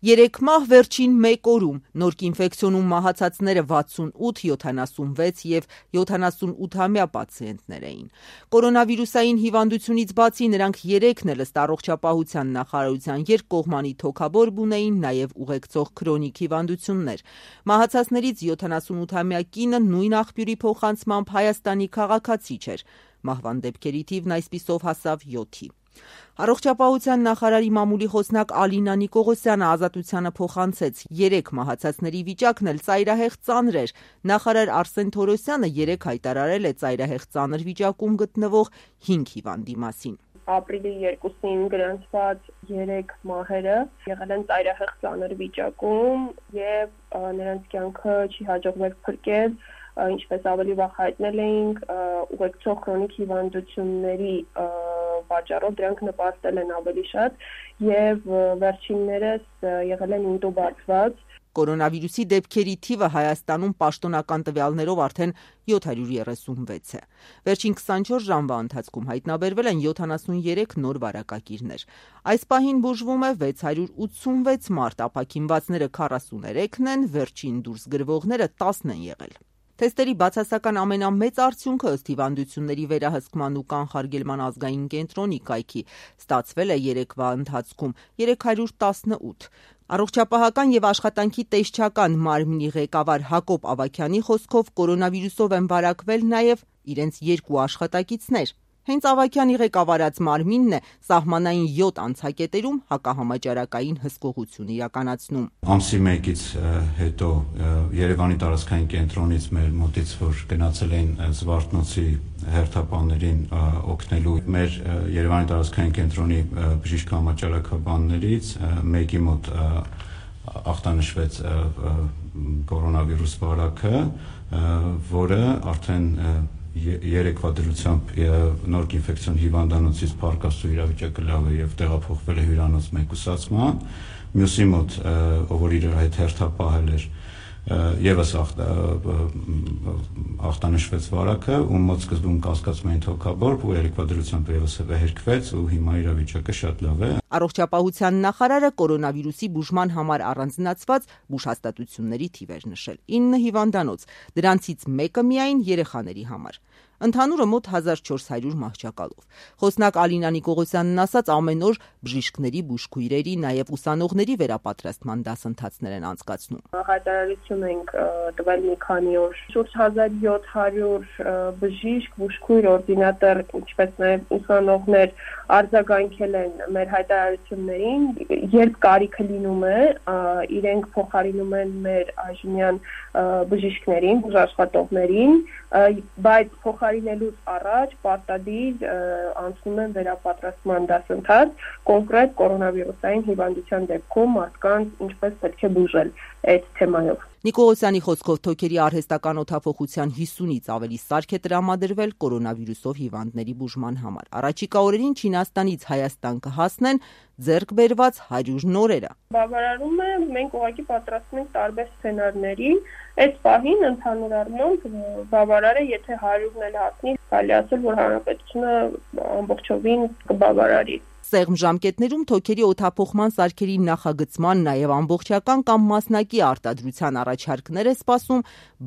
3 մահ վերջին 1 օրում, նորկ ինֆեկցիոնում մահացածները 68, 76 և 78-ամյա պացիենտներ էին։ Կորոնավիրուսային հիվանդությունից բացի նրանք 3-ն էլ ըստ Առողջապահության նախարարության երկկողմանի թոքաբորբ ունեին նաև ուղեկցող քրոնիկ հիվանդություններ։ Մահացածներից 78-ամյա կինը նույն աղբյուրի փոխանցմամբ Հայաստանի քաղաքացի չէր։ Մահվան դեպքերի թիվն այսպիսով հասավ 7-ի։ Առողջապահության նախարարի մամուլի խոսնակ Ալինա Նիկողոսյանը Ազատությանը փոխանցեց. 3 մահացածների վիճակն էլ ծայրահեղ ծանր էր։ Նախարար Արսեն Թորոսյանը 3 հայտարարել է ծայրահեղ ծանր վիճակում գտնվող 5 հիվանդի մասին։ Ապրիլի 2-ին գրանցված 3 մահերը եղել են ծայրահեղ ծանր վիճակում եւ նրանց կյանքը չի հաջողվել փրկել, ինչպես ավելի վաղ հայտնել էինք, ուղեկցող քրոնիկ հիվանդությունների պատճառով դրանք նպաստել են ավելի շատ եւ վերջիններս եղել են ինտուբացված։ Կորոնավիրուսի դեպքերի թիվը Հայաստանում պաշտոնական տվյալներով արդեն 736 է։ Վերջին 24 ժամվա ընթացքում հայտնաբերվել են 73 նոր վարակակիրներ։ Այս պահին բուժվում է 686 մարդ, ապաքինվածները 43-ն են, վերջին դուրս գրվողները 10 են եղել։ Թեստերի բացասական ամենամեծ արդյունքը ըստ հիվանդությունների վերահսկման ու կանխարգելման ազգային կենտրոնի կայքի ստացվել է 3-վա ընթացքում 318։ Առողջապահական եւ աշխատանքի տեսչական մարմնի ղեկավար Հակոբ Ավագյանի խոսքով կորոնավիրուսով են վարակվել նաեւ իրենց 2 աշխատակիցներ։ Հենց Ավագյանի ղեկավարած մարմինն է սահմանային 7 անցակետերում հակահամաճարակային հսկողություն իրականացնում։ Ամսի 1-ից հետո Երևանի տարածքային կենտրոնից մեր մոտից որ գնացել էին Զվարթնոցի հերթապաններին օգնելու մեր Երևանի տարածքային կենտրոնի բժիշկ համաճարակաբաններից մեկի մոտ ախտանշվեց կորոնավիրուս վարակը, որը արդեն 3-վա դրությամբ նորկ ինֆեկցիոն հիվանդանոցից փառկաստու իրավիճակը լավ է եւ տեղափոխվել է հյուրանոց մեկուսացման, մյուսի մոտ որ իր հետ հերթապահել էր եւս ախտանշվեց վարակը, ում մոտ սկզբում կասկածում էին թոքաբորբ ու 3-վա դրությամբ եւս հերքվեց ու հիմա իրավիճակը շատ լավ է։ Առողջապահության նախարարը կորոնավիրուսի բուժման համար առանձնացված բուժհաստատությունների թիվ էր նշել 9 հիվանդանոց, դրանցից մեկը միայն երեխաների համար։ Ընդհանուրը մոտ 1400 մահճակալով։ Խոսնակ Ալինա Նիկողոսյանն ասաց, ամեն օր բժիշկների, բուժքույրերի, նաև ուսանողների վերապատրաստման դասընթացներ են անցկացնում։ Հայտարարություն ենք տվել մի քանի օր, շուրջ 1700 բժիշկ, բուժքույր, օրդինատոր, ինչպես նաև ուսանողներ արձագանքել են մեր հայտարարություններին, երբ կարիքը լինում է, իրենք փոխարինում են մեր այժմյան բժիշկներին, բուժաշխատողներին, բայց փոխարինելուց առաջ պարտադիր անցնում են վերապատրաստման դասընթաց կոնկրետ կորոնավիրուսային հիվանդության դեպքում մարդկանց ինչպես պետք է բուժել այդ թեմայով։ Նիկողոսյանի խոսքով թոքերի արհեստական օդափոխության 50-ից ավելի սարք է տրամադրվել կորոնավիրուսով հիվանդների բուժման համար։ Առաջիկա օրերին Չինաստանից Հայաստան կհասնեն ձեռք բերված 100 նորերը։ Բավարարում է, մենք ուղղակի պատրաստում ենք տարբեր սցենարների, այդ պահին ընդհանուր առմամբ բավարար է, եթե 100-ն էլ հասնի, կարելի ասել, որ հանրապետությունը ամբողջովին կբավարարի։ Սեղմ ժամկետներում թոքերի օդափոխման սարքերի նախագծման, նաև ամբողջական կամ մասնակի արտադրության առաջարկներ է սպասում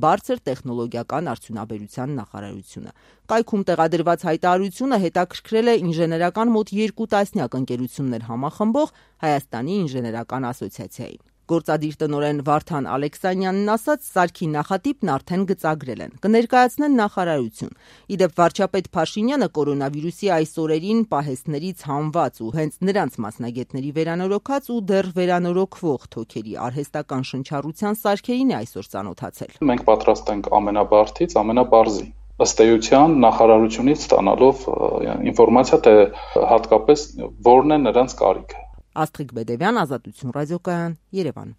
բարձր տեխնոլոգիական արդյունաբերության նախարարությունը։ Կայքում տեղադրված հայտարարությունը հետաքրքրել է ինժեներական մոտ 2 տասնյակ ընկերություններ համախմբող Հայաստանի ինժեներական ասոցիացիային։ Գործադիր տնօրեն Վարդան Ալեքսանյանն ասաց, սարքի նախատիպն արդեն գծագրել են, կներկայացնեն նախարարություն։ Իդեպ վարչապետ Փաշինյանը կորոնավիրուսի այս օրերին պահեստներից հանված ու հենց նրանց մասնագետների վերանորոգած ու դեռ վերանորոգվող թոքերի արհեստական շնչառության սարքերին է այսօր ծանոթացել։ Մենք պատրաստ ենք ամենաբարձից ամենաբարձի։ Ըստ էության նախարարությունից ստանալով ինֆորմացիա, թե հատկապես որն է նրանց կարիքը։ Աստղիկ Բեդևյան, Ազատություն ռադիոկայան, Երևան։